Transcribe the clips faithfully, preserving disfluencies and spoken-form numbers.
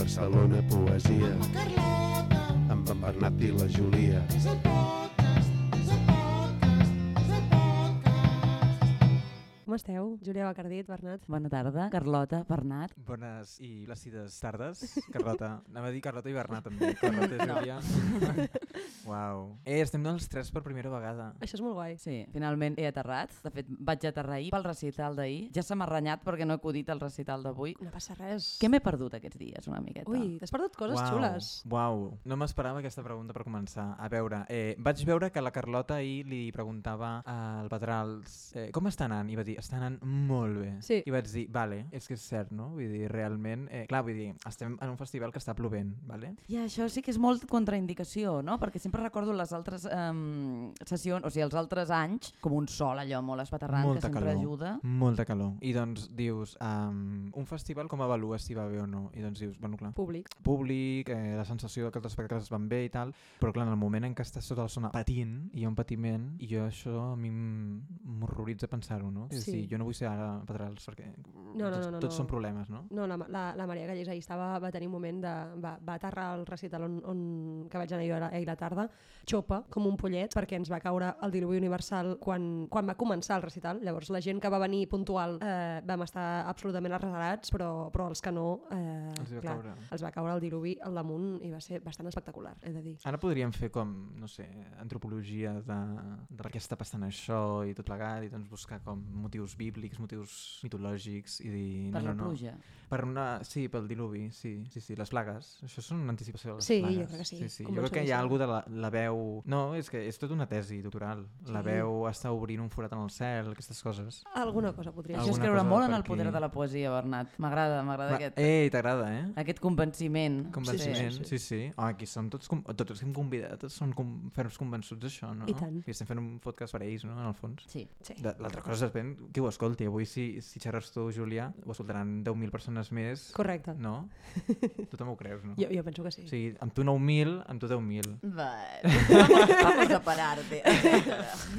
Barcelona Poesia amb en Bernat i la Júlia. Com esteu? Júlia Bacardit, Bernat. Bona tarda, Carlota, Bernat. Bones i plàcides tardes, Carlota. Anem a dir Carlota i Bernat també. Carlota i Júlia. Uau. Eh, estem els tres per primera vegada. Això és molt guai. Sí, finalment he aterrat. De fet, vaig aterrar ahir pel recital d'ahir. Ja se m'ha renyat perquè no he acudit al recital d'avui. No passa res. Què m'he perdut aquests dies, una miqueta? Ui, t'has perdut coses Uau. xules. Uau. No m'esperava aquesta pregunta per començar. A veure, eh, vaig veure que la Carlota ahir li preguntava al Pedrals eh, com està anant? I va dir, està anant molt bé. Sí. I vaig dir, vale, és que és cert, no? Vull dir, realment, eh, clar, vull dir, estem en un festival que està plovent, vale? I això sí que és molt contraindicació, no? Perquè sempre recordo les altres um, sessions, o sigui, els altres anys, com un sol allò molt espaterrant Molta que sempre calor. ajuda. Molta calor. I doncs dius, um, un festival com avalues si va bé o no? I doncs dius, bueno, clar, Públic. públic, eh, la sensació que els espectacles van bé i tal, però clar, en el moment en què estàs sota la zona patint, hi ha un patiment, i jo això a mi m'horroritza pensar-ho, no? És Sí. a dir, jo no vull ser ara Pedrals perquè No, no, tots, no, no, tots no. són problemes, no? No, la, la, la Maria Gallés ahir estava, va tenir un moment de... Va, va aterrar al recital on, on, que vaig anar jo ahir a la tarda, xopa, com un pollet, perquè ens va caure el diluvi universal quan, quan va començar el recital. Llavors la gent que va venir puntual eh, vam estar absolutament arrasarats, però, però els que no, eh, Els va clar, caure. els va caure el diluvi al damunt i va ser bastant espectacular, he de dir. Ara podríem fer com, no sé, antropologia de, de per què està passant això i tot plegat, i doncs buscar com motius bíblics, motius mitològics i dir... Per no, la no, no. pluja. Per una, sí, pel diluvi, sí, sí, sí, les plagues. Això són una anticipació de les Sí, plagues. jo crec que sí, sí, sí. com Jo molt crec que hi ha segur. alguna de la, la veu... No, és que és tota una tesi doctoral. La Sí. veu està obrint un forat en el cel, aquestes coses. Alguna cosa podria Això ser. és Alguna creure cosa molt en per el poder aquí. de la poesia, Bernat. M'agrada, m'agrada Va, aquest, Ei, t'agrada, eh? aquest convenciment. Convenciment, Sí, sí, sí, sí. sí. Oh, aquí som tots, com, tots els que hem convidat, tots són com, ferms convençuts d'això, no? I tant. I estem fent un podcast per a ells, no?, en el fons. Sí. Sí. De- L'altra cosa és ben qui ho escolti. Avui si, si xerres tu, Júlia, ho escoltaran deu mil persones més. Correcte. No? Tu també ho creus, no? Jo, jo penso que sí. O sigui, amb tu nou mil, amb tu deu mil. Vale. Vamos, vamos a pararte.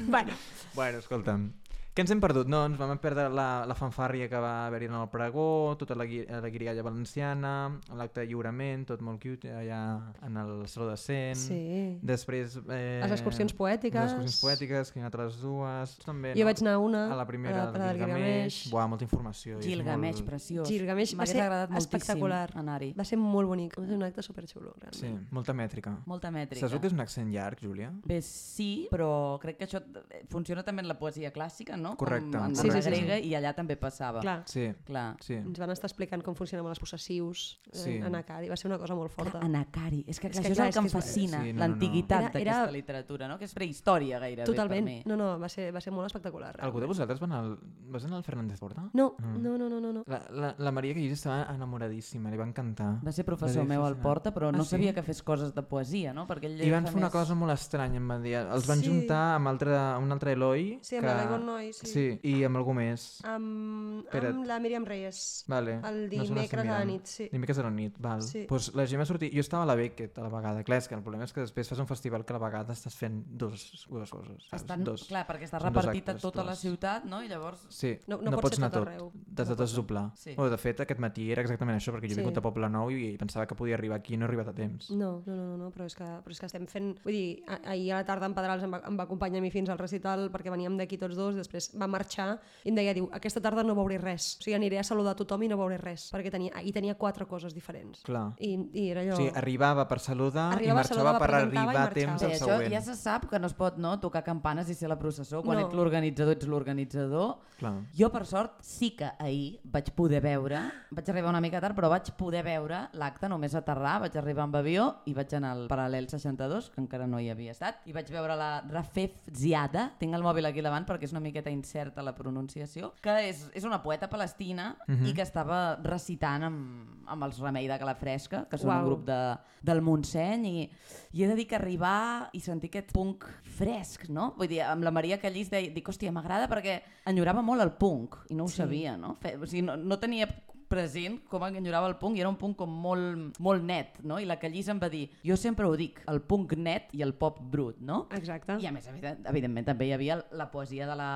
Bueno, Bueno, escolta'm. Què ens hem perdut? No, ens vam perdre la, la fanfàrria que va haver-hi en el pregó, tota la, gui- la guirigalla valenciana, l'acte de lliurament, tot molt cute, allà en el Saló de Cent. sí. Després... Eh, Les excursions poètiques. Les excursions poètiques, que he anat a les dues. Tu també, Jo no? vaig anar a una, A la primera, a la- a a la la del Gilgamesh. Gilgamesh. Buah, molta informació. i és Gilgamesh, molt... preciós. Gilgamesh va M'hagués ser agradat moltíssim espectacular. anar-hi. Va ser molt bonic, va ser un acte superxulo, realment. Sí, molta mètrica. Molta mètrica. Saps el que és un accent llarg, Júlia? Bé, sí, però crec que això eh, funciona també en la poesia clàssica, no? Correcte, Com en Sí, la sí, sí, grega, i allà també passava. Clar, Sí, Clar. sí. ens van estar explicant com funcionaven els possessius Sí. en Acadi, va ser una cosa molt forta. Clar, Anacari. És que, És és que que clar, això és el que em és que és- fascina, Sí, no, no, no. l'antiguitat Era- d'aquesta era- literatura, no? Que és prehistòria gairebé Totalment. per mi. No, no, va ser, va ser molt espectacular. Algú de realment. vosaltres va anar al... Vas anar al Fernández Porta? No, Mm. no, no, no, no, no. La, la, la Maria Guillés estava enamoradíssima, li va encantar. Va ser professor Va dir meu al fascinant. Porta, però Ah, no sí? sabia que fes coses de poesia, no? Perquè ell I van fa fer una més- cosa molt estranya, em van dir. Els van Sí. juntar amb, altre, amb un altre Eloi. Sí, amb que... la Ivonne Noi, sí. Sí, i amb algú més. Amb, Espera't. amb la Míriam Reyes. Vale. El no se n'estic dimecres a la mirant. nit, sí. Dimecres a la nit, val. Sí. Pues la gent va sortir... Jo estava a la Beckett a la vegada. Clar, és que el problema és que després fas un festival que a la vegada estàs fent dos, dues coses. Saps? Estan, dos. clar, perquè està Són dos repartit a actes, tota la dos. ciutat, no? I llavors... Sí, No- no, no pot pots ser anar tot tot. arreu. T'has de desdoblar. Sí. Oh, de fet, aquest matí era exactament això, perquè jo he Sí. vingut a Poble Nou i pensava que podia arribar aquí i no he arribat a temps. No, no, no, no, no però, és que, però és que estem fent... Vull dir, a- ahir a la tarda en Pedrals em va, em va acompanyar a mi fins al recital perquè veníem d'aquí tots dos, després va marxar i em deia, diu, aquesta tarda no veuré res. O sigui, aniré a saludar a tothom i no veuré res, perquè tenia, ahir tenia quatre coses diferents. Clar. I, i era allò... O sigui, arribava per saludar Arribava, i marxava saludava, per presentava i arribar a marxava. temps Bé, al això següent. ja se sap que no es pot, no, tocar campanes i ser la processó. Quan No. ets l'organitzador, ets l'organitzador. Clar. Jo, per sort, sí que ahir vaig poder veure, vaig arribar una mica tard, però vaig poder veure l'acte només aterrar, vaig arribar amb avió i vaig anar al Paral·lel seixanta-dos, que encara no hi havia estat, i vaig veure la Rafef Ziada, tinc el mòbil aquí davant perquè és una miqueta incerta la pronunciació, que és, és una poeta palestina Mhm. i que estava recitant amb, amb els Remei de Calafresca, que són Uau. un grup de, del Montseny, i, i he de dir que arribar i sentir aquest punk fresc, no? Vull dir, amb la Maria Callís deia, dic, hòstia, m'agrada perquè enyorava molt el punk i no ho Sí. sabia, no? Fe, o sigui, no, no tenia present com enyorava el punk, i era un punk com molt, molt net, no? I la Callís em va dir, jo sempre ho dic, el punk net i el pop brut, no? Exacte. I a més, evident, evidentment, també hi havia la poesia de la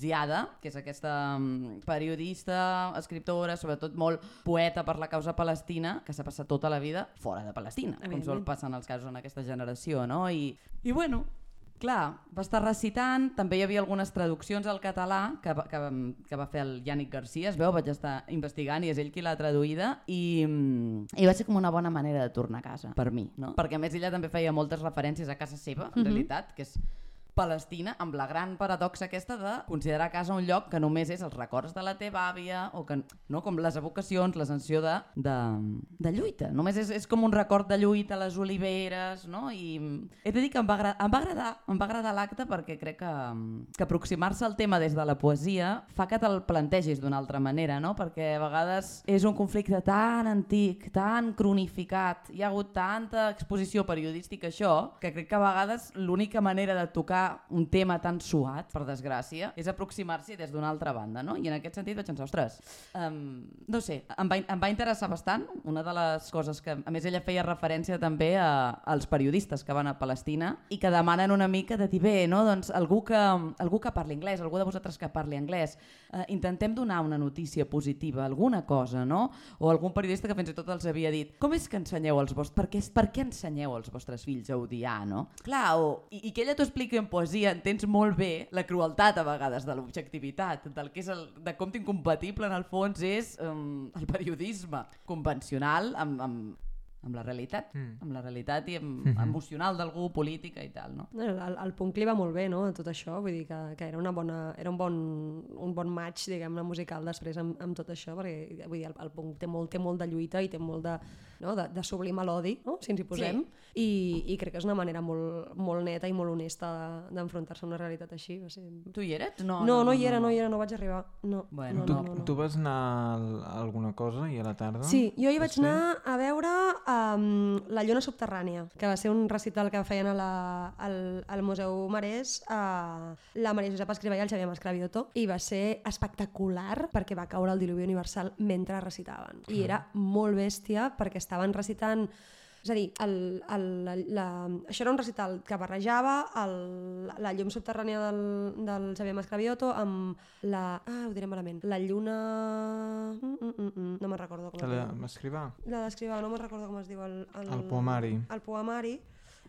Ziada, que és aquesta um, periodista, escriptora, sobretot molt poeta per la causa palestina, que s'ha passat tota la vida fora de Palestina, com sol passar en els casos en aquesta generació, no? I, i bueno, clar, va estar recitant, també hi havia algunes traduccions al català que, va, que, que va fer el Yannick Garcia, es veu, vaig estar investigant i és ell qui l'ha traduïda, i, i va ser com una bona manera de tornar a casa, per mi, no? Perquè a més ella també feia moltes referències a casa seva, en uh-huh. realitat, que és Palestina, amb la gran paradoxa aquesta de considerar casa un lloc que només és els records de la teva àvia, o que, no, com les evocacions, la sensació de, de, de lluita. Només és, és com un record de lluita a les oliveres, no? I he de dir que em va, agra em va agradar, em va agradar l'acte perquè crec que, que aproximar-se al tema des de la poesia fa que te'l plantegis d'una altra manera, no? Perquè a vegades és un conflicte tan antic, tan cronificat, hi ha hagut tanta exposició periodística això, que crec que a vegades l'única manera de tocar un tema tan suat, per desgràcia, és aproximar-s'hi des d'una altra banda, no? I en aquest sentit vaig pensar, ostres, um, no sé, em va, em va interessar bastant. Una de les coses que, a més, ella feia referència també a, als periodistes que van a Palestina i que demanen una mica de dir, bé, no? Doncs algú que, algú que parli anglès, algú de vosaltres que parli anglès, eh, intentem donar una notícia positiva, alguna cosa, no? O algun periodista que fins i tot els havia dit, com és que ensenyeu els vostres, per què, per què ensenyeu als vostres fills a odiar, no? Clar, o, i, i que ella t'ho expliqui en poesia, entens molt bé la crueltat a vegades de l'objectivitat, del que és el, de com d'incompatible en el fons és um, el periodisme convencional amb, amb, amb la realitat, mm. amb la realitat i amb, mm-hmm. emocional d'algú, política i tal, no? El, el punk li va molt bé, no?, tot això, vull dir que, que era, una bona, era un, bon, un bon match, diguem-ne, musical després amb, amb tot això, perquè vull dir, el, el punk té molt, té molt de lluita i té molt de, no, de, de sublimar l'odi, no?, si ens hi posem, sí. I, i crec que és una manera molt, molt neta i molt honesta d'enfrontar-se a una realitat així. Va ser... Tu hi eres? No, no, no, no, no hi era, no, no hi era, no vaig arribar. No, bueno, no, tu, no, no, no. tu vas anar a alguna cosa i a la tarda? Sí, jo hi vaig anar a veure um, La Lluna Subterrània, que va ser un recital que feien a la, al, al Museu Marès, a la Maria Josep Escrivà i el Xavier Mascravioto, i va ser espectacular perquè va caure el diluvi universal mentre recitaven. I era molt bèstia perquè estaven recitant. És a dir, el, el, la, la, això era un recital que barrejava el, la llum subterrània del, del Xavier Mascravioto amb la... Ah, ho diré malament. La lluna... Mm, mm, mm, mm. No me'n recordo com es diu. L'escrivà? La d'escrivà, no me'n recordo com es diu. El, el, el poemari. El poemari.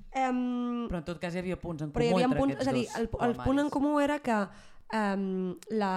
Um, però en tot cas hi havia punts en comú entre punts, aquests és a dir, el, el punt en comú era que um, la,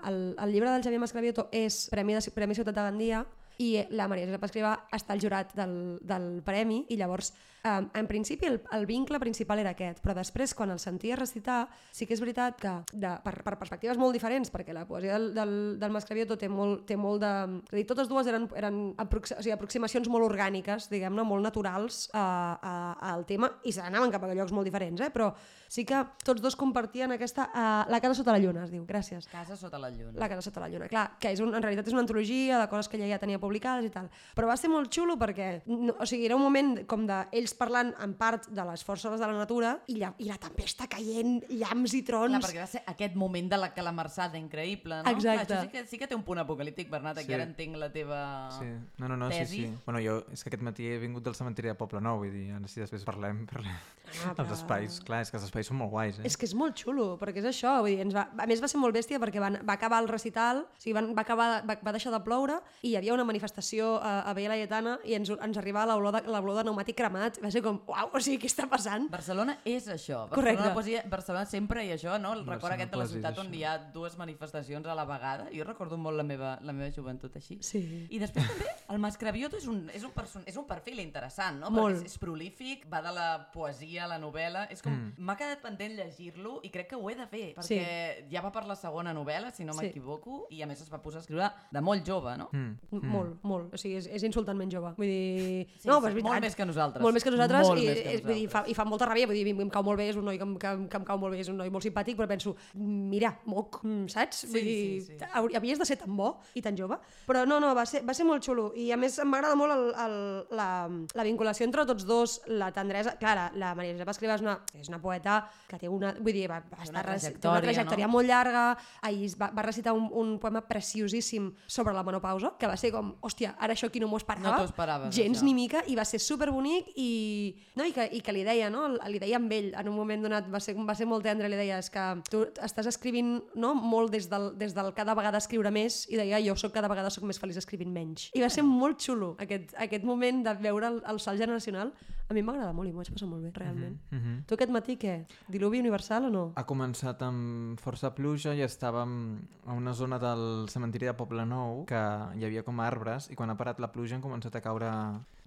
el, el llibre del Xavier Mascravioto és Premi, de, Premi Ciutat de Gandia i la Maria Josep Escrivà està al jurat del, del premi i llavors um, en principi el, el vincle principal era aquest, però després quan el sentia recitar sí que és veritat que de, per, per perspectives molt diferents, perquè la poesia del, del, del Mascravioto té molt, té molt de... És a dir, totes dues eren, eren aprox, o sigui, aproximacions molt orgàniques, diguem-ne, molt naturals a, a, al tema i s'anaven cap a llocs molt diferents, eh? Però sí que tots dos compartien aquesta... Uh, la casa sota la lluna, es diu, gràcies. Casa sota la lluna. La casa sota la lluna, clar, que és un, en realitat és una antologia de coses que ella ja tenia publicades i tal. Però va ser molt xulo perquè, no, o sigui, era un moment com d'ells parlant en part de les forces de la natura i la, i la tempesta caient, llamps i trons. Clar, perquè va ser aquest moment de la calamarsada increïble, no? Exacte. Clar, això sí que, sí que té un punt apocalíptic, Bernat, aquí sí. Ara entenc la teva sí. No, no, no, tesi. Sí, sí. Bueno, jo és que aquest matí he vingut del cementiri de Poblenou, vull dir, ara si després parlem, parlem. Ah, però... Els espais, clar, és que els espais són molt guais, eh? És que és molt xulo, perquè és això, vull dir, ens va... a més va ser molt bèstia perquè van, va acabar el recital, o sigui, van, va, acabar, va, va deixar de ploure i hi havia una manifestació a, a Vella Laietana i ens, ens arribava l'olor de, l'olor de pneumàtic cremat, va ser com, uau, o sigui, què està passant? Barcelona és això, Correcte. Barcelona, poesia, Barcelona sempre i això, no? El record Barcelona aquest de la ciutat això. On hi ha dues manifestacions a la vegada, jo recordo molt la meva, la meva joventut així. Sí. I després també el Mascravioto és un, és un, person, és un perfil interessant, no? Molt. Perquè és, és prolífic, va de la poesia a la novel·la, és com, mm. m'ha quedat pendent llegir-lo i crec que ho he de fer, perquè sí. Ja va per la segona novel·la, si no sí. m'equivoco, i a més es va posar a escriure de molt jove, no? Mm. Mm. Molt, molt, o sigui, és, és insultantment jove, vull dir... Sí, no, sí, és veritat. Molt més que nosaltres. Molt més que nosaltres, molt i, més que és, vull dir, fa, i fa molta ràbia, vull dir, em cau molt bé, és un noi que, em, que, que em cau molt bé, és un noi molt simpàtic, però penso, mira, moc, saps? Vull sí, dir, sí, sí. havies de ser tan bo i tan jove, però no, no, va ser, va ser molt xulo, i a més m'agrada molt el, el, la, la vinculació entre tots dos, la tendresa, clar, la, la Maria Josep Escrivà és una, és una poeta que té una, vull dir, va, va estar, una té una trajectòria no? molt llarga, ahir va, va recitar un, un poema preciosíssim sobre la menopausa, que va ser com, com, hòstia, ara això aquí no m'ho esperava. No t'ho esperaves, gens això. ni mica, i va ser superbonic i, no, i, que, i que li deia, no? Li deia amb ell, en un moment donat va ser, va ser molt tendre, li deia, és que tu estàs escrivint, no? Molt des del, des del cada vegada escriure més, i deia, jo soc cada vegada soc més feliç escrivint menys. I va ser molt xulo aquest, aquest moment de veure el, el salt generacional. A mi m'agrada molt i m'ho vaig passar molt bé, realment. Uh -huh. Tu aquest matí què? Diluvi universal o no? Ha començat amb força pluja i estàvem a una zona del cementiri de Poblenou que hi havia com arbres i quan ha parat la pluja han començat a caure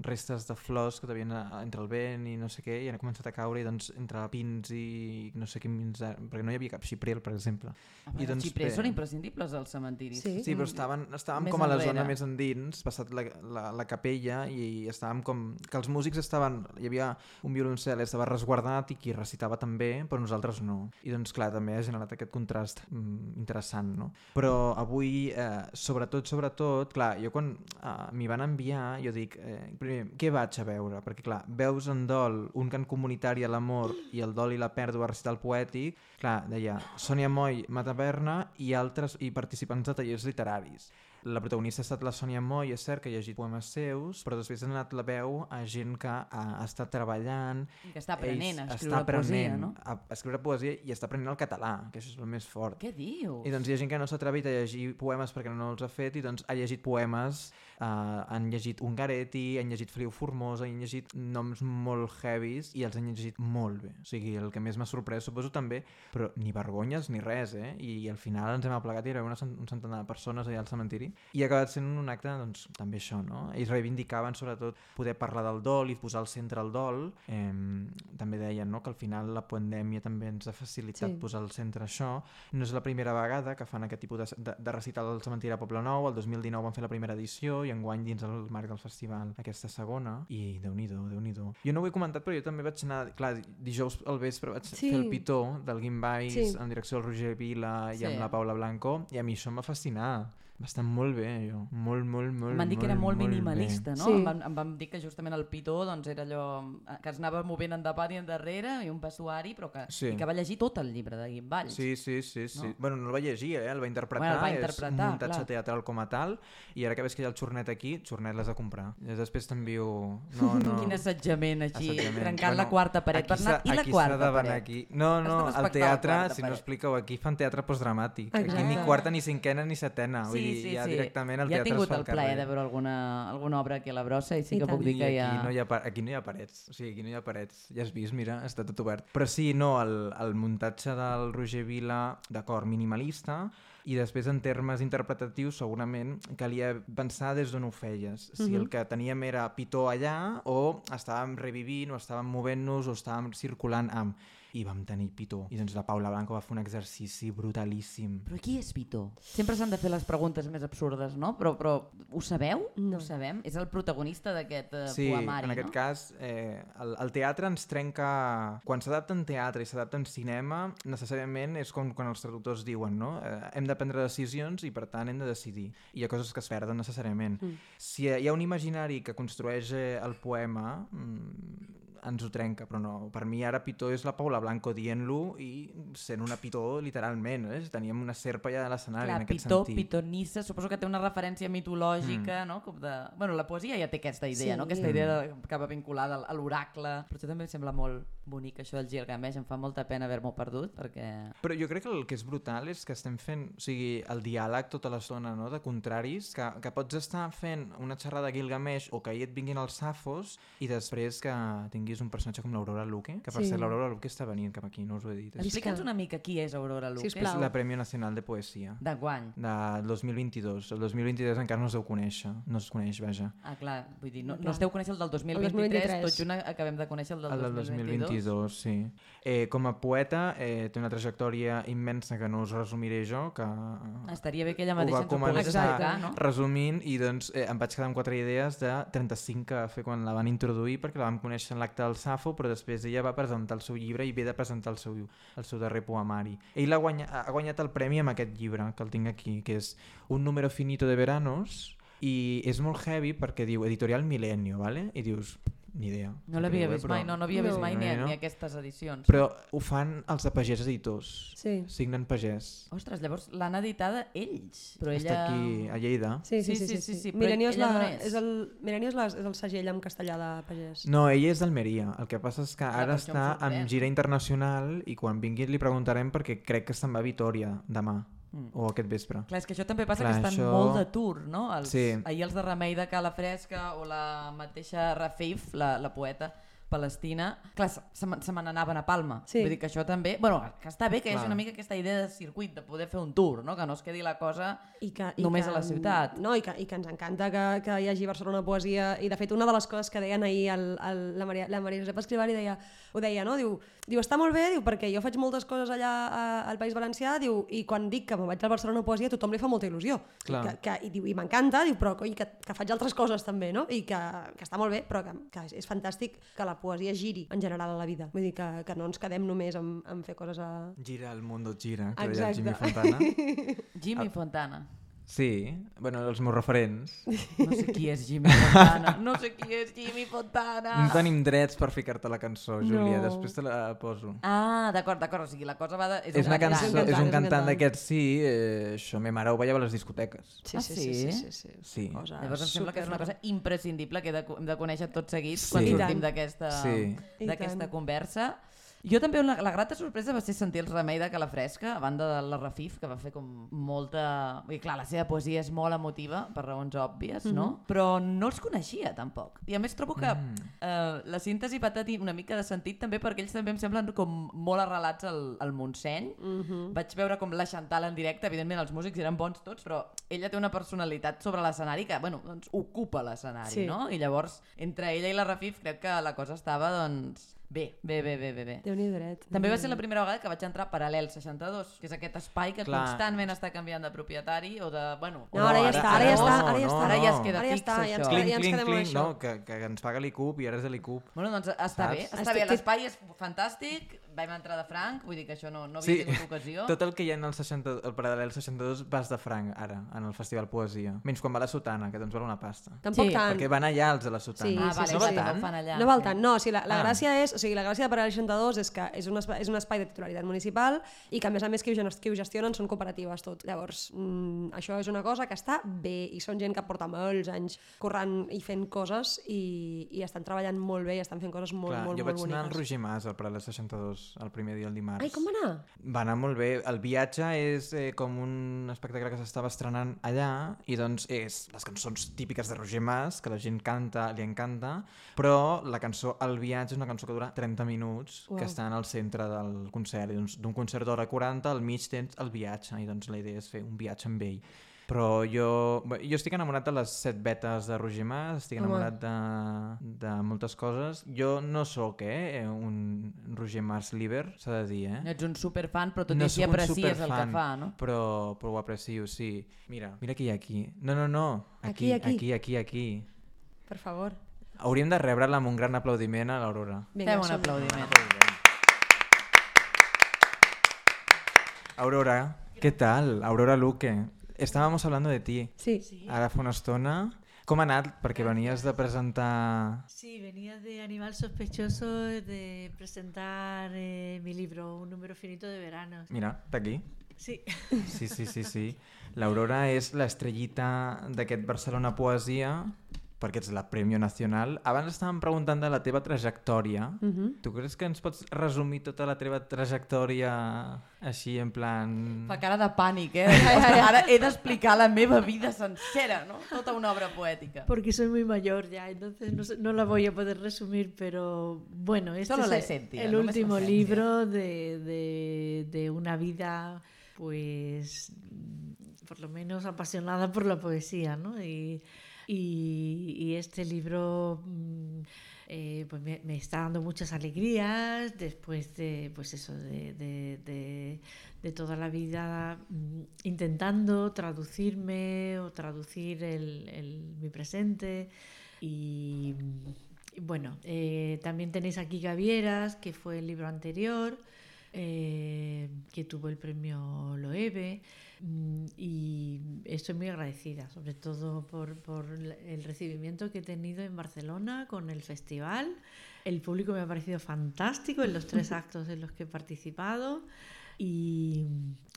restes de flors que devien entre el vent i no sé què, i han començat a caure i doncs entre pins i no sé quins, perquè no hi havia cap xipril, per exemple. Ah, I doncs, els xiprers bé, són imprescindibles als cementiris. Sí. Sí, però estàvem, estàvem Més com a la enrere. zona més endins, passat la, la, la capella, i estàvem com... que els músics estaven... hi havia un violoncel, estava resguardat i qui recitava també, però nosaltres no. I doncs clar, també ha generat aquest contrast mm, interessant, no? Però avui, eh, sobretot, sobretot, clar, jo quan eh, m'hi van enviar, jo dic, eh, primer, què vaig a veure? Perquè clar, veus en dol un cant comunitari a l'amor i el dol i la pèrdua recital poètic, clar, deia Sònia Moll, Mataverna i altres i participants de tallers literaris. La protagonista ha estat la Sònia Moll, és cert que ha llegit poemes seus, però després ha anat la veu a gent que ha, ha estat treballant... I que està aprenent a ells escriure està poesia, no? A, a escriure poesia i està aprenent el català, que això és el més fort. Què dius? I doncs hi ha gent que no s'ha atrevit a llegir poemes perquè no els ha fet i doncs ha llegit poemes, eh, han llegit Ungaretti, han llegit Feliu Formosa, han llegit noms molt heavies i els han llegit molt bé. O sigui, el que més m'ha sorprès, suposo també, però ni vergonyes ni res, eh? I, i al final ens hem aplegat i hi havia una, un centenar de persones allà al cementiri i ha acabat sent un acte, doncs, també això, no? Ells reivindicaven sobretot poder parlar del dol i posar al centre el dol. Eh, també deien, no?, que al final la pandèmia també ens ha facilitat Sí. posar al centre això. No és la primera vegada que fan aquest tipus de, de, de recital al cementiri de Poblenou. El dos mil dinou van fer la primera edició i enguany dins el marc del festival aquesta segona. I déu-n'hi-do, déu-n'hi-do. Jo no ho he comentat, però jo també vaig anar, clar, dijous al vespre vaig Sí. fer el pitó del Guimbais Sí. en direcció del Roger Vila i Sí. amb la Paula Blanco, i a mi això em va fascinar. Va estar molt bé, jo. Molt, molt, molt, Em van dir que era molt molt minimalista, bé. no? Sí. Em, van, em van dir que justament el pitó doncs, era allò que es anava movent endavant i endarrere i un vestuari, però que, Sí. i que va llegir tot el llibre de Guim Valls. Sí, sí, sí, sí. No? Bueno, no el va llegir, eh? El va interpretar, Bueno, el va és interpretar, un muntatge clar. teatral com a tal, i ara que veus que hi ha el xornet aquí, xornet l'has de comprar. I després t'envio... No, no. Quin assetjament així, Assetjament. trencant la quarta paret. aquí Bernat, s'ha- i la aquí quarta s'ha de venir paret? aquí. No, no, Has de al respectar la teatre, quarta si no paret. expliqueu, aquí fan teatre postdramàtic. Exacte. Aquí ni quarta, ni cinquena, ni setena. Vull Sí, dir, sí, ja sí. directament el ja he teatre tingut es fa el al plaer carrer. de veure alguna, alguna obra aquí a la brossa i sí I que tant. puc dir I que aquí, hi ha... no hi ha, pa- aquí no hi ha parets, o sigui, aquí no hi ha parets. Ja has vist, mira, està tot obert. Però sí, no, el, el muntatge del Roger Vila, d'acord, minimalista, i després en termes interpretatius segurament calia pensar des d'on ho feies. Si Mhm. el que teníem era pitó allà o estàvem revivint o estàvem movent-nos o estàvem circulant amb... I vam tenir pitó. I doncs la Paula Blanco va fer un exercici brutalíssim. Però qui és Pitó? Sempre s'han de fer les preguntes més absurdes, no? Però, però ho sabeu? No. Ho sabem? És el protagonista d'aquest uh, Sí, poemari, en aquest no? cas eh, el, el teatre ens trenca... Quan s'adapta en teatre i s'adapta en cinema, necessàriament és com quan els traductors diuen, no? Eh, hem de prendre decisions i per tant hem de decidir. I hi ha coses que es perden necessàriament. Mm. Si hi ha un imaginari que construeix eh, el poema, mm, ens ho trenca, però no. Per mi ara Pitó és la Paula Blanco dient-lo i sent una Pitó literalment. Eh? Teníem una serpa allà a l'escenari Clar, en aquest Pitó, sentit. Pitonissa, suposo que té una referència mitològica, mm. no? Com de... Bueno, la poesia ja té aquesta idea, Sí. no? Aquesta idea de... que va vinculada al- a l'oracle. Però això també em sembla molt bonic, això del Gilgamesh. Em fa molta pena haver-m'ho perdut, perquè... Però jo crec que el que és brutal és que estem fent, o sigui, el diàleg tota l'estona, no?, de contraris, que, que pots estar fent una xerrada de Gilgamesh o que ahir et vinguin els safos i després que tinguis un personatge com l'Aurora Luque, que per Sí. cert l'Aurora Luque està venint cap aquí, no us ho he dit. És, Explica'ns una mica qui és Aurora Luque. Sisplau. és la Premi Nacional de Poesia De guany. del dos mil vint-i-dos. El dos mil vint-i-dos encara no es deu conèixer, no es coneix, vaja. Ah, clar, vull dir, no, Clar. no esteu conèixer el del dos mil El dos mil vint-i-tres, vint-i-tres. tot junt acabem de conèixer el del, El del dos mil vint-i-dos. dos mil vint-i-dos, sí. Eh, com a poeta eh, té una trajectòria immensa que no us resumiré jo, que Estaria bé que ella ho mateixa va ens ho pogués començar explicar, no? resumint i doncs eh, em vaig quedar amb quatre idees de trenta-cinc que va fer quan la van introduir perquè la vam conèixer en l'acte del Safo, però després ella va presentar el seu llibre i ve de presentar el seu, el seu darrer poemari. Ell ha guanyat, ha guanyat el premi amb aquest llibre que el tinc aquí, que és Un número finito de veranos, i és molt heavy perquè diu Editorial Milenio, ¿vale? I dius, ni idea. No l'havia Però- vist mai, no, no havia vist No. mai ni, No. ni aquestes edicions. Però ho fan els de Pagès Editors. Sí. Signen Pagès. Ostres, llavors l'han editada ells. Però Està ella... aquí a Lleida. Sí, sí, Sí, sí. sí, sí, sí, sí. sí, però Milenio és, ella la, d'on és? és, el, Milenio és, la, és el segell en castellà de Pagès. No, ella és d'Almeria. El que passa és que Ah, ara per això em està sorprèn. amb gira internacional i quan vingui li preguntarem perquè crec que se'n va a Vitòria demà Mm. o aquest vespre. Clar, és que això també passa Clar, que estan això- molt de tour, no? Els, Sí. Ahir els de Remei de Cala Fresca o la mateixa Rafif, la, la poeta palestina, clar, se, se me se me n'anaven a Palma. Sí. Vull dir que això també... Bueno, que està bé que hi hagi Clar. una mica aquesta idea de circuit, de poder fer un tour, no? Que no es quedi la cosa... I que, i Només que, a la ciutat. No, i que, i que ens encanta que, que hi hagi Barcelona Poesia, i de fet una de les coses que deien ahir el, el, la, Maria, la Maria Josep Escribari deia, ho deia, no? Diu, diu, està molt bé, diu, perquè jo faig moltes coses allà a, al País Valencià, diu, i quan dic que me'n vaig al Barcelona Poesia tothom li fa molta il·lusió. Clar. Que, que, I diu, i m'encanta, diu, però coi, que, que faig altres coses també, no? I que, que està molt bé, però que, que és, és fantàstic que la poesia giri en general a la vida. Vull dir que, que no ens quedem només en, en fer coses a... Gira el mundo gira, que deia el Exacte. Jimmy Fontana. Jimmy Fontana. Sí, bueno, els meus referents. No sé qui és Jimmy Fontana. No sé qui és Jimmy Fontana. No tenim drets per ficar-te la cançó, Júlia, No. després te la poso. Ah, d'acord, d'acord. O sigui, la cosa va de... És una cançó, és un cantant, és un és un cantant cantant. d'aquests, sí, eh, això, me mare ho veia a les discoteques. Sí, Ah, sí, sí? sí, sí, sí, sí. Sí. Cosa Llavors em sembla que és una cosa super- imprescindible que he de, hem de conèixer tots seguits Sí. quan I sortim tant. d'aquesta Sí. I d'aquesta tant. conversa. Jo també, la, la grata sorpresa va ser sentir el Remei de Cala Fresca, a banda de la Rafif, que va fer com molta... Vull dir, clar, la seva poesia és molt emotiva, per raons òbvies, no? Però no els coneixia, tampoc. I a més trobo que Mm. eh, la síntesi va tenir una mica de sentit també perquè ells també em semblen com molt arrelats al, al Montseny. Mhm. Vaig veure com la Chantal en directe, evidentment els músics eren bons tots, però ella té una personalitat sobre l'escenari que, bueno, doncs ocupa l'escenari, Sí. no? I llavors, entre ella i la Rafif, crec que la cosa estava, doncs, bé, bé, bé, bé, bé. bé. Déu-n'hi-do dret. També va ser la primera vegada que vaig entrar a Paral·lel seixanta-dos, que és aquest espai que Clar. constantment està canviant de propietari o de, bueno... No, ara ja ara- està, ara ara ja no, està, ara ja no, està. Ara ja es queda Ara ja fix, està, ja ens això. queda- Clinc, ja ens clinc, quedem amb clinc, això. no, que, que ens paga l'I C U P i ara és de l'I C U P. Bueno, doncs està Saps? bé, està Estic- bé, l'espai és fantàstic, vam entrar de franc, vull dir que això no, no havia Sí, tingut ocasió. tot el que hi ha en el, seixanta, el Paral·lel seixanta-dos vas de franc ara, en el Festival Poesia. Menys quan va a la Sotana, que doncs val una pasta. Tampoc Sí, tant. Perquè van allà els de la Sotana. Sí, Ah, sí, vale, sí, no sí. va tant, tant? ho fan allà. No val sí. tant, no, o sigui, la, la Ah. gràcia és, o sigui, la gràcia de Paral·lel seixanta-dos és que és un, espai, és un espai de titularitat municipal i que a més a més qui ho, gen- qui ho gestionen són cooperatives tot. Llavors, mm, això és una cosa que està bé i són gent que porta molts anys currant i fent coses i, i estan treballant molt bé i estan fent coses molt, Clar, molt, jo molt vaig anar al boniques. Roger Mas, al Paral·lel seixanta-dos, el primer dia, el dimarts. Ai, com va anar? Va anar molt bé. El viatge és eh, com un espectacle que s'estava estrenant allà i doncs és les cançons típiques de Roger Mas, que la gent canta, li encanta, però la cançó El viatge és una cançó que dura trenta minuts, Uau. que està en el centre del concert. I doncs d'un concert d'hora quaranta, al mig tens el viatge, i doncs la idea és fer un viatge amb ell. Però jo, bé, jo estic enamorat de les set vetes de Roger Mas, estic Home. enamorat de, de moltes coses. Jo no sóc eh, un Roger Mas liber, s'ha de dir, eh? Ets un superfan, però tot No i així sóc un aprecies el que superfan, fa, no? Però, però ho aprecio, sí. Mira, mira qui hi ha aquí. No, no, no. Aquí, aquí. aquí, aquí, aquí. Per favor. Hauríem de rebre'la amb un gran aplaudiment a l'Aurora. Fem un som-hi. aplaudiment. Aurora, ¿qué tal? Aurora Luque. Estábamos hablando de ti. Sí. Sí. Ara fa una estona. Com ha anat? Perquè venies de presentar... Sí, venía de Animal Sospechoso de presentar eh, mi libro, Un número finito de veranos. Mira, està aquí. Sí, Sí, sí, sí, sí. L'Aurora és l'estrellita d'aquest Barcelona Poesia, perquè ets la Premio Nacional. Abans estàvem preguntant de la teva trajectòria. Mhm. Tu creus que ens pots resumir tota la teva trajectòria així en plan... Fa cara de pànic, eh? Ostres, ara he d'explicar la meva vida sencera, no? Tota una obra poètica. porque soy muy mayor ya, entonces no, sé- no la voy a poder resumir, pero bueno, este Solo la es el- esencia, el no me último esencia. libro de, de, de una vida, pues, mm, por lo menos apasionada por la poesía, ¿no? Y, y, y este libro mm, eh, pues me, me está dando muchas alegrías después de, pues eso, de, de, de, de toda la vida mm, intentando traducirme o traducir el, el- mi presente. Y, y bueno, eh, también tenéis aquí Gavieras, que fue el libro anterior. eh, que tuvo el premio Loewe, y estoy muy agradecida, sobre todo por, por el recibimiento que he tenido en Barcelona con el festival. El público me ha parecido fantástico en los tres actos en los que he participado. Y,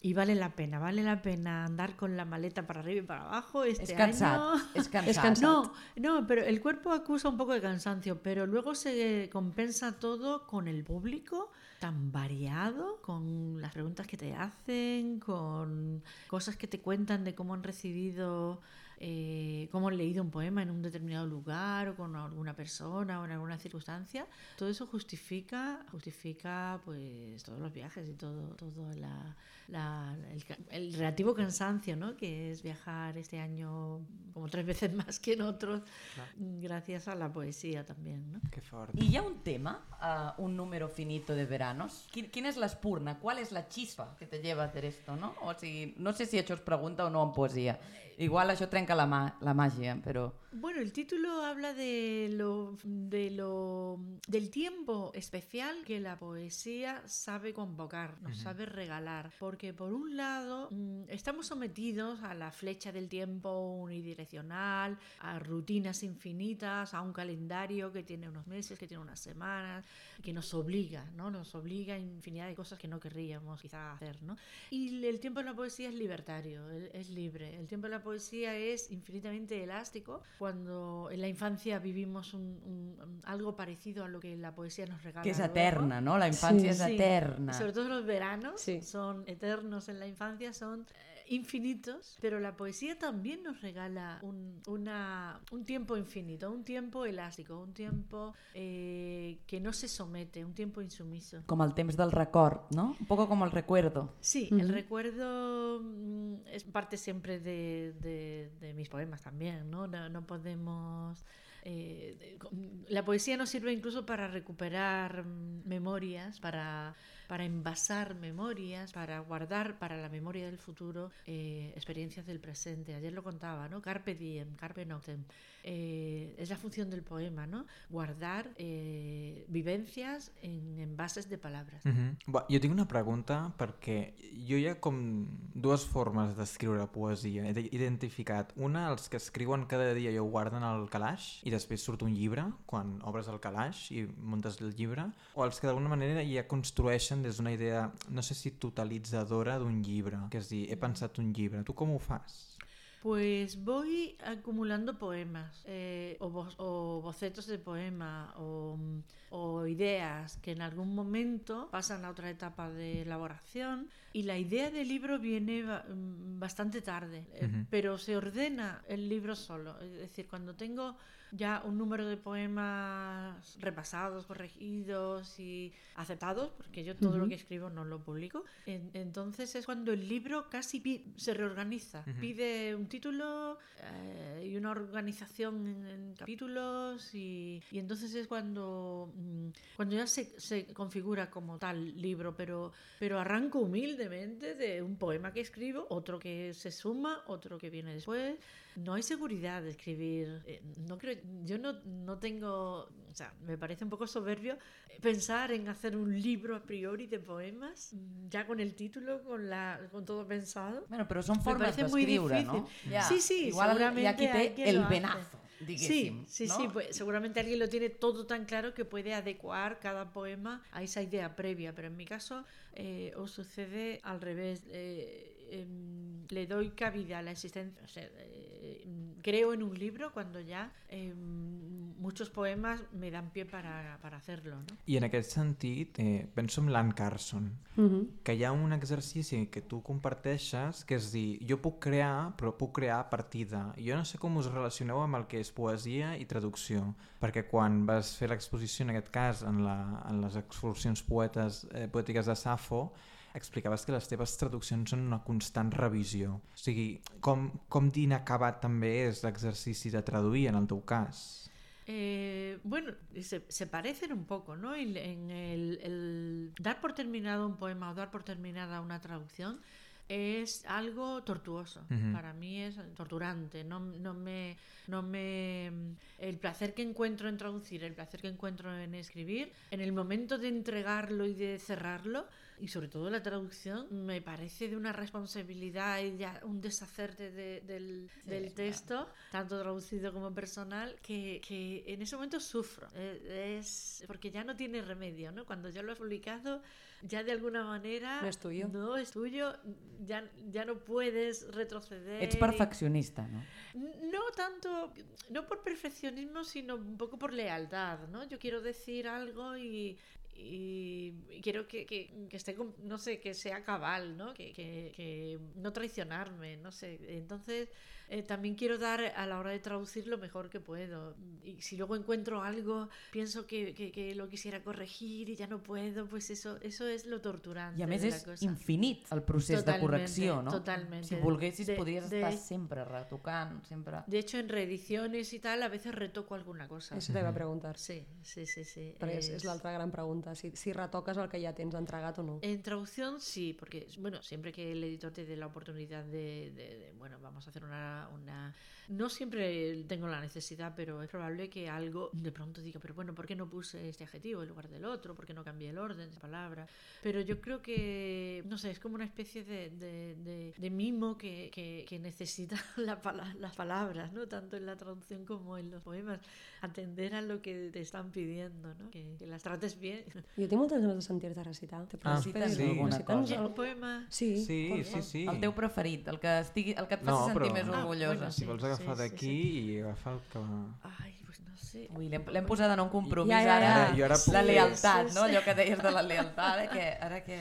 y vale la pena, vale la pena andar con la maleta para arriba y para abajo este es cansat, año. Es cansat. Es cansat. No, no, pero el cuerpo acusa un poco de cansancio, pero luego se compensa todo con el público tan variado, con las preguntas que te hacen, con cosas que te cuentan de cómo han recibido, eh, cómo han leído un poema en un determinado lugar o con alguna persona o en alguna circunstancia. Todo eso justifica, justifica pues todos los viajes y todo, todo la, la, el, el relativo cansancio, ¿no? Que es viajar este año como tres veces más que en otros, claro, gracias a la poesía también, ¿no? Que fort. ¿Y hi ha un tema, uh, un número finito de veranos? Quin, quin és l'espurna? ¿Cuál es la chispa que te lleva a hacer esto, no? O sigui, no sé si això es pregunta o no en poesía. Igual això trenca la, ma la màgia, però... Bueno, el título habla de lo, de lo, del tiempo especial que la poesía sabe convocar, nos uh-huh. sabe regalar. Porque por un lado estamos sometidos a la flecha del tiempo unidireccional, a rutinas infinitas, a un calendario que tiene unos meses, que tiene unas semanas, que nos obliga, ¿no? Nos obliga a infinidad de cosas que no querríamos quizá hacer, ¿no? Y el tiempo en la poesía es libertario, es libre. El tiempo en la poesía es infinitamente elástico. Cuando en la infancia vivimos un, un, algo parecido a lo que la poesía nos regala. Que es luego. eterna, ¿no? La infancia sí, es sí. eterna. Sobre todo los veranos sí. son eternos en la infancia, son eh, infinitos, pero la poesía también nos regala un, una, un tiempo infinito, un tiempo elástico, un tiempo eh, que no se somete, un tiempo insumiso. Como el temps del record, ¿no? Un poco como el recuerdo. Sí, uh-huh. el recuerdo mm, es parte siempre de, de, de mis poemas también, ¿no? No, no podemos... Eh, la poesía nos sirve incluso para recuperar memorias, para, para envasar memorias, para guardar para la memoria del futuro eh, experiencias del presente. Ayer lo contaba, ¿no? Carpe diem, carpe noctem. Eh, es la función del poema, ¿no? Guardar eh, vivencias en envases de palabras. Uh-huh. Va, jo tinc una pregunta perquè jo hi ha com dues formes d'escriure poesia. He identificat una, els que escriuen cada dia i ho guarden al calaix i després surt un llibre quan obres el calaix i muntes el llibre, o els que d'alguna manera ja construeixen des d'una idea, no sé si totalitzadora d'un llibre, que és dir, he pensat un llibre. Tu com ho fas? Pues voy acumulando poemas eh, o, bo o bocetos de poema o, o ideas que en algún momento pasan a otra etapa de elaboración, y la idea del libro viene ba bastante tarde, eh, uh-huh. pero se ordena el libro solo. Es decir, cuando tengo ya un número de poemas repasados, corregidos y aceptados, porque yo todo uh-huh. lo que escribo no lo publico, en entonces es cuando el libro casi se reorganiza, uh-huh. pide un título eh, y una organización en, en capítulos, y, y entonces es cuando, cuando ya se, se configura como tal libro, pero, pero arranco humildemente de un poema que escribo, otro que se suma, otro que viene después. No hay seguridad de escribir, eh, no creo, yo no, no tengo, o sea, me parece un poco soberbio pensar en hacer un libro a priori de poemas, ya con el título, con, la, con todo pensado. Bueno, però són formes d'escriure, ¿no? Ya, sí, sí, igual seguramente hi ha qui té el venazo, diguéssim. Sí, sí, ¿no? sí, pues seguramente alguien lo tiene todo tan claro que puede adecuar cada poema a esa idea previa, pero en mi caso eh, os sucede al revés. Eh, eh, le doy cabida a la existencia, o sea, eh, creo en un libro cuando ya eh, muchos poemas me dan pie para, para hacerlo, ¿no? I en aquest sentit, eh, penso en l'Anne Carson, uh-huh. que hi ha un exercici que tu comparteixes, que és dir, jo puc crear, però puc crear a partir de... Jo no sé com us relacioneu amb el que és poesia i traducció, perquè quan vas fer l'exposició, en aquest cas, en, la, en les excursions poetes, eh, poètiques de Safo, explicaves que les teves traduccions són una constant revisió. O sigui, com, com d'inacabat també és l'exercici de traduir en el teu cas? Eh, bueno, se, se parecen un poco, ¿no? En el, el dar por terminado un poema o dar por terminada una traducción es algo tortuoso. Ujú. Para mí es torturante. No, no me, no me, el placer que encuentro en traducir, el placer que encuentro en escribir, en el momento de entregarlo y de cerrarlo, y sobre todo la traducción, me parece de una responsabilidad y ya un deshacerte de, del, Sí, del claro. texto, tanto traducido como personal, que, que en ese momento sufro. Eh, Es porque ya no tiene remedio, ¿no? Cuando ya lo has publicado, ya de alguna manera No es tuyo. no es tuyo, ya, ya no puedes retroceder. Ets perfeccionista, no? No tanto, no por perfeccionismo, sino un poco por lealtad, ¿no? Yo quiero decir algo y, y quiero que, que, que esté, no sé, que sea cabal, ¿no? Que, que, que no traicionarme, no sé. Entonces, eh, también quiero dar a la hora de traducir lo mejor que puedo. Y si luego encuentro algo, pienso que, que, que lo quisiera corregir y ya no puedo, pues eso, eso es lo torturante. I a més de la és cosa. infinit el procés Totalmente, de correcció, no? totalmente. Si volguessis De- podries de- estar sempre retocant, sempre... De hecho, en reediciones y tal, a veces retoco alguna cosa. Això t'he de preguntar. Sí, sí, sí, sí. Perquè és, Es- és l'altra gran pregunta, si, si retoques el que ja tens entregat o no. En traducción sí, porque bueno, siempre que el editor te dé la oportunidad de, de- de, bueno, vamos a hacer una, una... No siempre tengo la necesidad, pero es probable que algo de pronto diga, pero bueno, ¿por qué no puse este adjetivo en lugar del otro? ¿Por qué no cambié el orden de palabra? Pero yo creo que, no sé, es como una especie de, de, de- de mimo que, que, que necesita la pala- las palabras, ¿no? Tanto en la traducción como en los poemas. Atender a lo que te están pidiendo, ¿no? Que, que las trates bien. Jo tinc moltes ganes de sentir-te recitar. Te Ah, reciten sí. alguna recita'ns cosa. Un algú? poema... Sí, Sí, por sí, favor. sí. El teu preferit, el que, estigui, el que et faci No, sentir però- més Ah, orgullosa. bueno, Si sí, vols agafar sí, d'aquí sí, i agafar el que... Ay, pues no sé. Ui, l'hem l'hem posat en un compromís Ja, ja, ja. ara. Ara, jo ara puc- La lealtat, Sí, no? sí. Allò que deies de la lealtat, ara que... Ara que...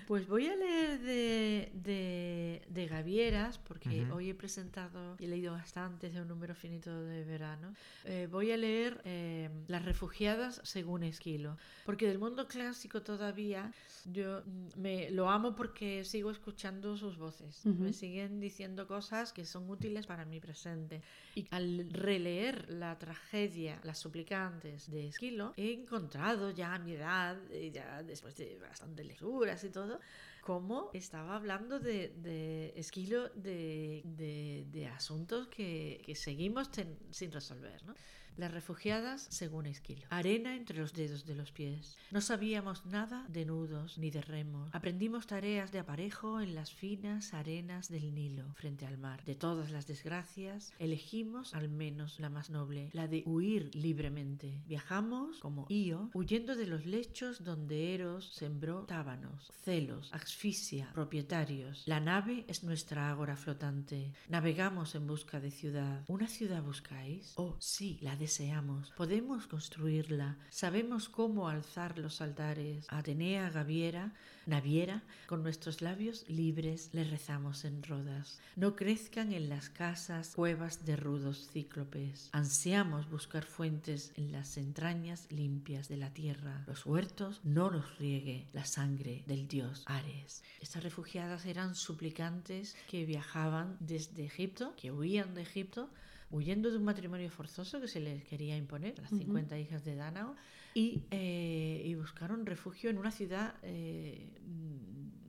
Pues voy a leer de, de, de Gavieras, porque Ujú. hoy he presentado y he leído bastante de un número finito de verano. Eh, voy a leer eh, Las refugiadas según Esquilo, porque del mundo clásico todavía yo mm, me lo amo porque sigo escuchando sus voces. Ujú. Me siguen diciendo cosas que son útiles para mi presente. Y al releer la tragedia Las suplicantes de Esquilo, he encontrado ya a mi edad, eh, ya después de bastantes lecturas y todo, cómo estaba hablando de, de Esquilo de, de, de asuntos que, que seguimos ten- sin resolver, ¿no? Las refugiadas según Esquilo. Arena entre los dedos de los pies. No sabíamos nada de nudos ni de remos. Aprendimos tareas de aparejo en las finas arenas del Nilo, frente al mar. De todas las desgracias, elegimos al menos la más noble, la de huir libremente. Viajamos, como Io, huyendo de los lechos donde Eros sembró tábanos, celos, asfixia, propietarios. La nave es nuestra ágora flotante. Navegamos en busca de ciudad. ¿Una ciudad buscáis? Oh, sí, la deseamos. Podemos construirla. Sabemos cómo alzar los altares. A Atenea Gaviera, Naviera, con nuestros labios libres le rezamos en Rodas. No crezcan en las casas cuevas de rudos cíclopes. Ansiamos buscar fuentes en las entrañas limpias de la tierra. Los huertos no los riegue la sangre del dios Ares. Estas refugiadas eran suplicantes que viajaban desde Egipto, que huían de Egipto, huyendo de un matrimonio forzoso que se les quería imponer, las cincuenta hijas de Dánao, y, eh, y buscaron refugio en una ciudad eh,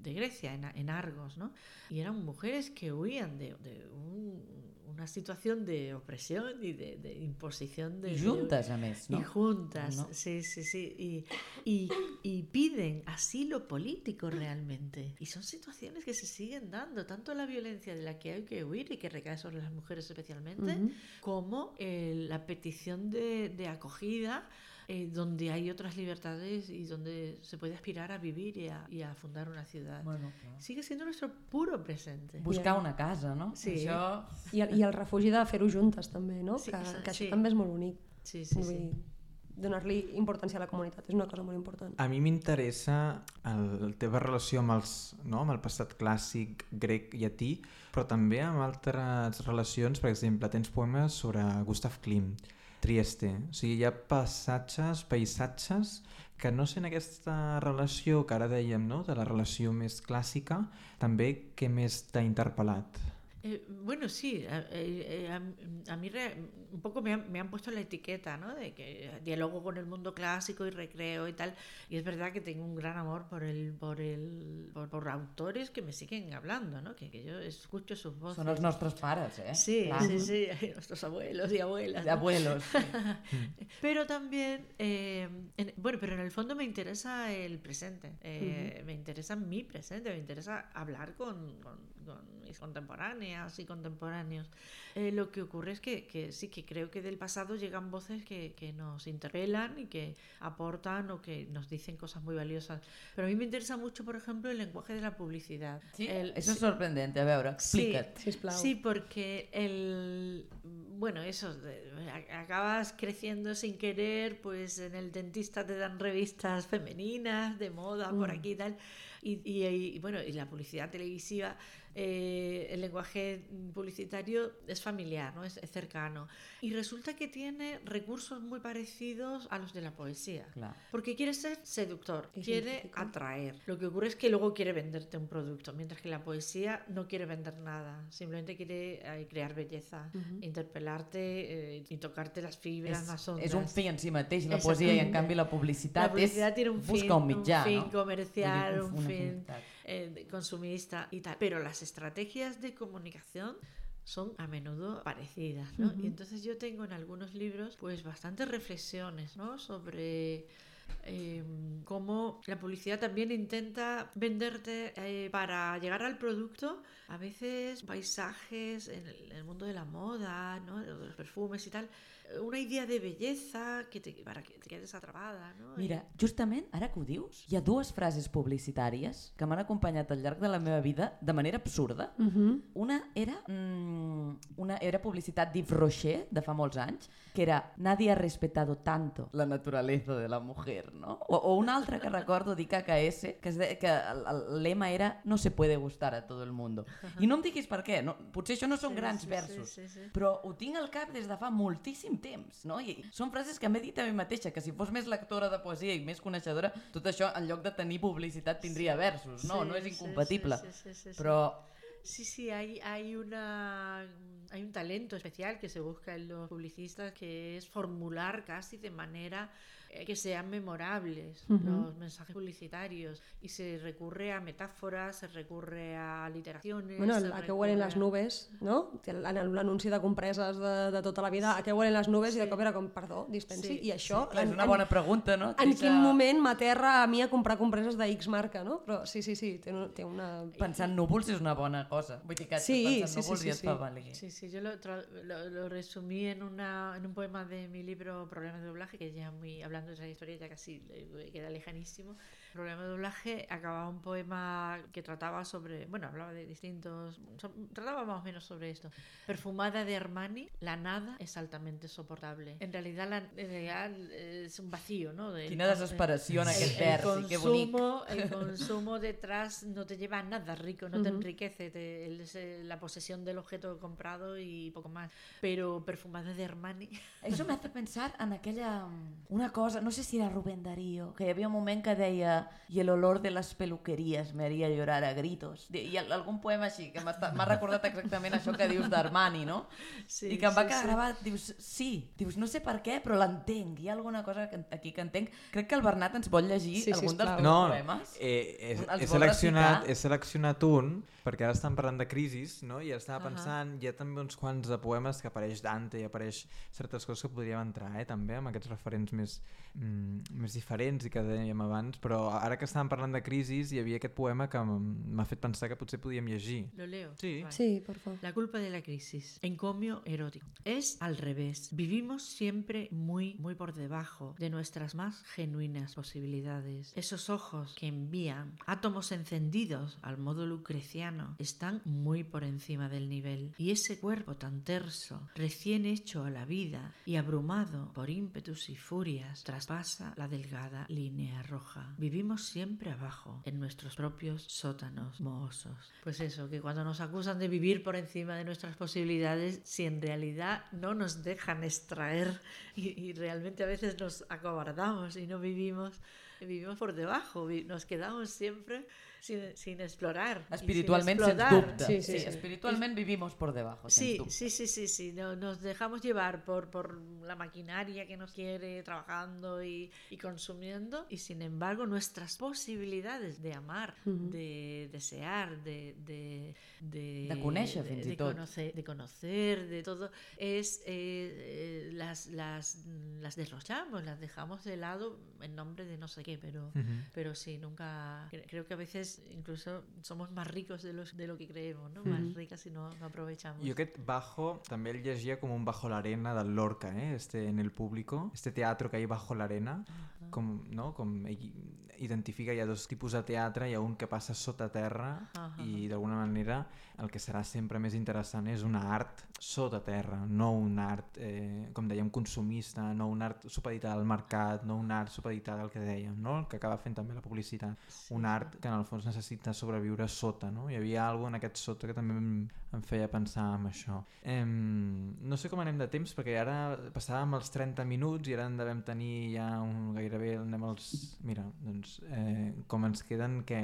de Grecia, en, en Argos, ¿no? Y eran mujeres que huían de, de un, una situación de opresión y de, de imposición de... I juntes, a més, no? Y juntas, No. sí, sí, sí. Y, y, y piden asilo político realmente. Y son situaciones que se siguen dando, tanto la violencia de la que hay que huir y que recae sobre las mujeres especialmente, Ujú. como eh, la petición de, de acogida, eh, donde hay otras libertades y donde se puede aspirar a vivir y a, y a fundar una ciudad. Bueno, clar. Sigue siendo nuestro puro presente. Buscar una casa, no? Sí. Això... I, el- I el refugi de fer-ho juntes també, no? Sí, que, exacte, que això sí. també és molt bonic. Sí, sí, Vull sí. dir, donar-li importància a la comunitat és una cosa molt important. A mi m'interessa el, la teva relació amb, els, no? amb el passat clàssic grec llatí, però també amb altres relacions, per exemple, tens poemes sobre Gustav Klimt, Trieste, o sigui, hi ha passatges, paisatges que no sent aquesta relació que ara dèiem, no? de la relació més clàssica, també què més t'ha interpel·lat? Eh, bueno, sí, eh, eh, a, a mí re, un poco me han, me han puesto la etiqueta, ¿no? De que diálogo con el mundo clásico y recreo y tal, y es verdad que tengo un gran amor por el, por el, por, por autores que me siguen hablando, ¿no? Que, que yo escucho sus voces. Són els nostres pares, eh? Sí, Clar. sí, sí, nuestros abuelos y abuelas. De ¿no? abuelos. Sí. Pero también, eh, en, bueno, pero en el fondo me interesa el presente, eh, uh-huh. me interesa mi presente, me interesa hablar con, con, con mis contemporáneas y contemporáneos. Eh, lo que ocurre es que, que sí, que creo que del pasado llegan voces que, que nos interpelan y que aportan o que nos dicen cosas muy valiosas. Pero a mí me interesa mucho, por ejemplo, el lenguaje de la publicidad. Sí, el, eso es sí, sorprendente, a veure, explica't. Sí, sí, porque el, bueno, eso, acabas creciendo sin querer, pues en el dentista te dan revistas femeninas de moda mm. por aquí y tal, y, y, y bueno, y la publicidad televisiva, eh, el lenguaje publicitario es familiar, ¿no? Es, es cercano, y resulta que tiene recursos muy parecidos a los de la poesía, claro. Porque quiere ser seductor, quiere atraer. Lo que ocurre es que luego quiere venderte un producto, mientras que la poesía no quiere vender nada, simplemente quiere eh, crear belleza, uh-huh. interpelarte eh, y tocarte las fibras és, más hondas. És un fi en si mateix, la poesia, i en canvi la publicitat, la publicitat és tiene un buscar fin, un mitjà, un fin no? comercial, un, un fin eh, consumista y tal. Pero las estrategias de comunicación son a menudo parecidas, ¿no? Uh-huh. Y entonces yo tengo en algunos libros pues bastantes reflexiones, ¿no? Sobre eh, cómo la publicidad también intenta venderte eh, para llegar al producto a veces paisajes en el, en el mundo de la moda, ¿no? De los perfumes y tal, una idea de belleza que te, para que te quedes atrapada, no? Mira, justament, ara que ho dius, hi ha dues frases publicitàries que m'han acompanyat al llarg de la meva vida de manera absurda. Uh-huh. Una era mmm, una era publicitat d'Yves Rocher, de fa molts anys, que era «Nadie ha respetado tanto la naturaleza de la mujer», no? O, o una altra que recordo d'I K K S, que, es de, que el, el lema era «No se puede gustar a todo el mundo». Uh-huh. I no em diguis per què, no, potser això no són sí, grans sí, versos, sí, sí, sí. però ho tinc al cap des de fa moltíssim temps, no? I són frases que m'he dit a mi mateixa, que si fos més lectora de poesia i més coneixedora, tot això en lloc de tenir publicitat tindria versos, no? Sí, no és incompatible, sí, sí, sí, sí, sí. però... Sí, sí, hay, hay, una, hay un talento especial que se busca en los publicistas, que es formular casi de manera que sean memorables uh-huh. los mensajes publicitarios, y se recurre a metáforas, se recurre a literaciones. Bueno, a què huelen les nubes, no? L'anunci de compreses de, de tota la vida, a què huelen les nubes, sí. I de cop era com, perdó, dispensi, sí. I això... Sí. En, és una bona pregunta, no? En quin moment m'aterra a mi a comprar compreses de X marca, no? Però sí, sí, sí, té, té una... Pensar en núvols és una bona cosa. Vull dir que sí, pensar en núvols sí, sí, i et sí. fa valer. Sí, sí, yo lo, lo, lo resumí en, una, en un poema de mi libro Problemas de doblaje, que ya muy hablando de esa historia ya casi queda lejanísimo. Problema de doblaje acababa un poema que trataba sobre, bueno, hablaba de distintos, so, trataba más o menos sobre esto. Perfumada de Armani, la nada es altamente soportable. En realidad, la, en realidad es un vacío, ¿no? De, Quina desesperació en aquest vers, que bonic. El consumo detrás no te lleva a nada rico, no uh-huh. te enriquece, te, es la posesión del objeto comprado y poco más. Pero Perfumada de Armani... Això m'ha fet pensar en aquella... Una cosa, no sé si era Rubén Darío, que hi havia un moment que deia «Y el olor de las peluquerías me haría llorar a gritos». I algun poema així, que m'ha recordat exactament això que dius d'Armani, no? Sí, I que em va sí, quedar sí. gravat, dius, sí, dius, no sé per què, però l'entenc, hi ha alguna cosa que, aquí que entenc. Crec que el Bernat ens vol llegir sí, algun dels teus no, poemes. Eh, he, he, seleccionat, he seleccionat un, perquè ara estan parlant de crisis, no? I estava uh-huh. pensant, hi ha també uns quants de poemes que apareix Dante i apareix certes coses que podríem entrar, eh, també, amb aquests referents més, mm, més diferents i que dèiem abans, però ara que estàvem parlant de crisis hi havia aquest poema que m'ha fet pensar que potser podíem llegir. ¿Lo leo? Sí. Vale. Sí, por favor. La culpa de la crisis. Encomio erótico. Es al revés. Vivimos siempre muy, muy por debajo de nuestras más genuinas posibilidades. Esos ojos que envían átomos encendidos al modo lucreciano están muy por encima del nivel. Y ese cuerpo tan terso, recién hecho a la vida y abrumado por ímpetus y furias, traspasa la delgada línea roja. Vivimos siempre abajo, en nuestros propios sótanos mohosos. Pues eso, que cuando nos acusan de vivir por encima de nuestras posibilidades, si en realidad no nos dejan extraer y, y realmente a veces nos acobardamos y no vivimos, vivimos por debajo, vi- nos quedamos siempre sin, sin explorar. y Espiritualment, sin sens explotar. dubte. Sí, Sí, sí, sí, sí. espiritualment vivimos por debajo, sens Sí, dubte. sí, sí, sí, sí. No- nos dejamos llevar por, por la maquinaria que nos quiere trabajando y, y consumiendo, y sin embargo nuestras posibilidades de amar, de desear, de de, de, De conèixer, de, fins i de tot. conocer, de conocer, de todo, es eh, eh, las, las, las derrochamos, las dejamos de lado en nombre de no sé qué, pero, Mhm. pero sí, nunca. cre- Creo que a veces incluso somos más ricos de, los, de lo que creemos, ¿no? Más ricas si no, no aprovechamos. Jo aquest bajo també el llegia com un bajo l'arena del Lorca, eh? este, en el público, este teatro que hay bajo l'arena, com, no? com ell identifica, hi ha dos tipus de teatre, hi ha un que passa sota terra Ahà. i d'alguna manera el que serà sempre més interessant és una art sota terra, no un art, eh, com dèiem, consumista, no un art supeditat al mercat, no un art supeditat al que dèiem, no? El que acaba fent també la publicitat. Un art que en el fons necessita sobreviure sota, no? Hi havia alguna en aquest sota que també em, em feia pensar en això. Eh, no sé com anem de temps, perquè ara passàvem els trenta minuts i ara en devem tenir ja un, gairebé anem als... Mira, doncs, eh, com ens queden, que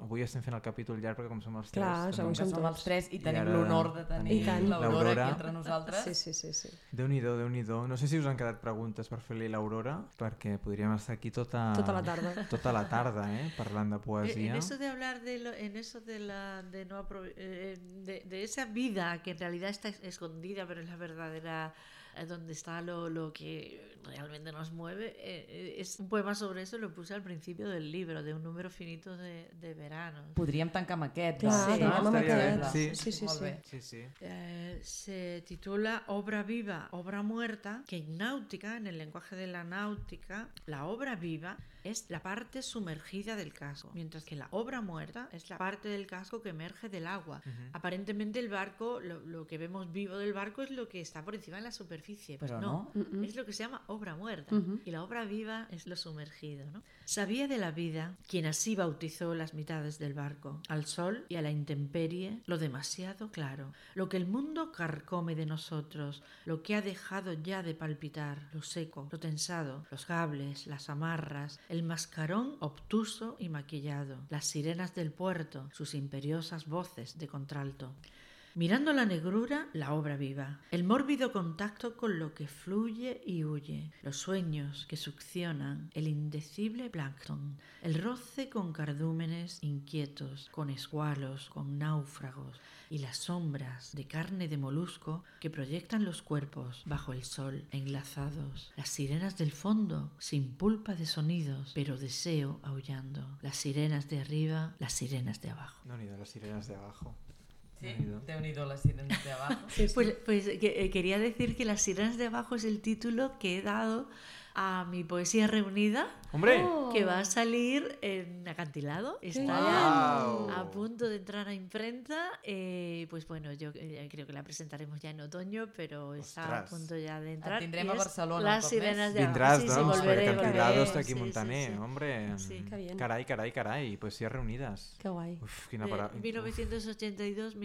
avui estem fent el capítol llarg perquè com som els Clar, tres... segur, Que som som tots. els tres i I tenim ara l'honor de tenir I tant. l'Aurora l'Aurora. aquí entre nosaltres. Sí, sí, sí, sí. Déu-n'hi-do, Déu-n'hi-do. No sé si us han quedat preguntes per fer-li a l'Aurora, perquè podríem estar aquí tota, Tota la tarda. tota la tarda, eh? Parlant de Eh, poesia. En eso de hablar de lo- en eso de la de no aprove- eh, de, de esa vida que en realidad está es- escondida pero es la verdadera, eh, donde está lo, lo que realmente nos mueve, eh, eh, es un poema sobre eso, lo puse al principio del libro, de un número finito de, de veranos. Podríem tancar amb aquest. Clar, doncs, Sí, tanquem amb estaria bé. aquest. Sí. Sí, sí, Molt sí. bé. Sí, sí. Eh, se titula Obra viva, obra muerta, que en náutica, en el lenguaje de la náutica, la obra viva es la parte sumergida del casco, mientras que la obra muerta es la parte del casco que emerge del agua. Aparentemente el barco, lo, lo que vemos vivo del barco es lo que está por encima de la superficie. Pues Pero no, no. es lo que se llama obra muerta. Y la obra viva es lo sumergido, ¿no? Sabía de la vida quien así bautizó las mitades del barco, al sol y a la intemperie, lo demasiado claro, lo que el mundo carcome de nosotros, lo que ha dejado ya de palpitar, lo seco, lo tensado, los cables, las amarras, el mascarón obtuso y maquillado, las sirenas del puerto, sus imperiosas voces de contralto. Mirando la negrura, la obra viva, el mórbido contacto con lo que fluye y huye, los sueños que succionan, el indecible plancton, el roce con cardúmenes inquietos, con escualos, con náufragos, y las sombras de carne de molusco que proyectan los cuerpos bajo el sol enlazados, las sirenas del fondo sin pulpa de sonidos, pero deseo aullando, las sirenas de arriba, las sirenas de abajo. Déu-n'hi-do, les sirenes de abajo. Sí, Déu-n'hi-do. Déu-n'hi-do les sirenes de abajo. Pues, pues que, eh, quería decir que Las sirenas de abajo es el título que he dado a mi poesía reunida, ¡Hombre! Oh. que va a salir en Acantilado. Está bien. ya Guau. a punto de entrar a imprenta. Eh, pues bueno, yo eh, creo que la presentaremos ya en otoño, pero está a Ostras. punto ya de entrar. tindrem y a es Barcelona un Las cop sirenas més. de abajo. Vindràs, Sí, sí, doncs, volveré, perquè Acantilado volveré. està aquí Sí, a sí, Montaner, sí. hombre. Sí. Que bien. Carai, carai, carai, poesies reunides. Que guai. Uf, quina De paraula. mil novecientos ochenta y dos a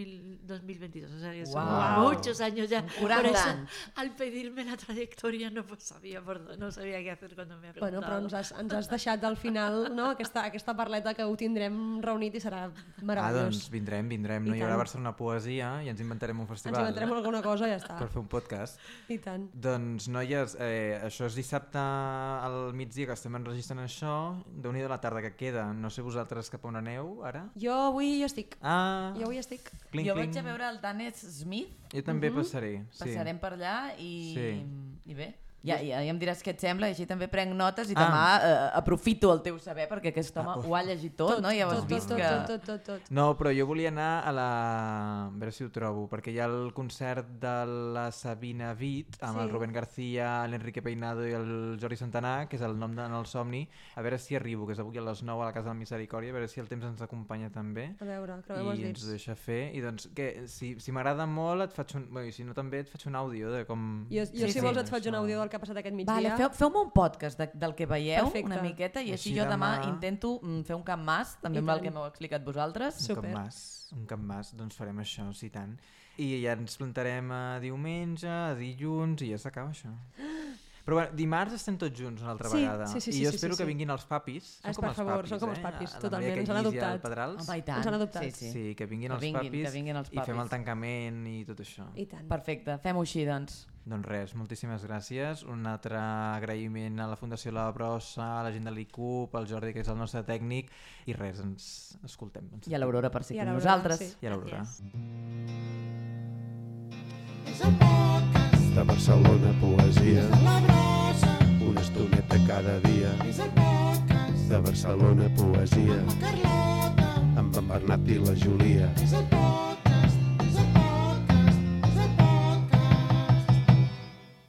dos mil veintidós, o sea que son Guau. muchos años ya. Son quaranta Por eso, anys. al pedirme la trayectoria no pues, sabía por dónde, no sabía qué hacer cuando me ha Bueno, preguntado. però ens has, ens has deixat al final, no?, aquesta, aquesta parleta que ho tindrem reunit i serà Ah, meravellós. doncs vindrem, vindrem. I No hi haurà tant. Barcelona Poesia i ens inventarem un Ens festival inventarem alguna cosa i ja està. per fer un podcast. I tant. Doncs, noies, eh, això és dissabte al migdia que estem enregistrant això. Déu-n'hi-do la tarda que queda. No sé vosaltres cap a on aneu, ara? Jo avui jo estic. Ah, Jo avui estic. clink, Jo clink. vaig a veure el Danes Smith, Jo també passaré, sí. passarem per allà i, Sí. i bé, ja, ja, ja em diràs què et sembla i així també prenc notes i Ah. demà eh, aprofito el teu saber perquè aquest home Ah, uf. ho ha llegit tot, no? Ja ho has tot, vist tot, que... tot, tot, tot, tot. No, però jo volia anar a la... A veure si ho trobo, perquè hi ha el concert de la Sabina Witt amb Sí. el Rubén García, l'Enrique Peinado i el Jordi Santanà, que és el nom de, en el somni. A veure si arribo, que és avui a les nou a la Casa de la Misericòrdia, a veure si el temps ens acompanya també. A veure, creuem els I ens dits. ho deixa fer. I doncs, què, si, si m'agrada molt, et faig un... Bé, si no també et faig un àudio de com... Jo, jo Sí, si sí. vols et faig un Això. àudio del que ha passat aquest migdia. Vale, feu, feu-me un podcast de, del que veieu Perfecte. una miqueta i així, Així jo demà, demà- intento mm, fer un camp mas, també I amb el tant. que m'heu explicat vosaltres. Un Super. cap mas, un cap mas, doncs farem això, sí tant. I ja ens plantarem a diumenge, a dilluns i ja s'acaba això. Però bueno, dimarts estem tots junts una altra Sí, vegada. sí, sí, I sí, jo sí, espero sí, que sí. vinguin els papis. Són Es, com per els favor, papis, són com els eh? papis, La totalment, Maria ens han Canyís i el adoptat. Pedrals. Home, i tant. Ens han adoptat. Sí, sí. Sí, que vinguin Que els vinguin, papis que vinguin els i fem el papis. tancament i tot això. I tant. Perfecte, fem-ho així, doncs. Doncs res, moltíssimes gràcies. Un altre agraïment a la Fundació La Brossa, a la gent de l'I C U P, al Jordi, que és el nostre tècnic, i res, ens escoltem. Ens I a l'Aurora per ser I a amb l'Aurora, nosaltres. sí. I a l'Aurora. De Barcelona, poesia. Una estoneta cada dia. De Barcelona, poesia. Amb en Bernat i la Júlia.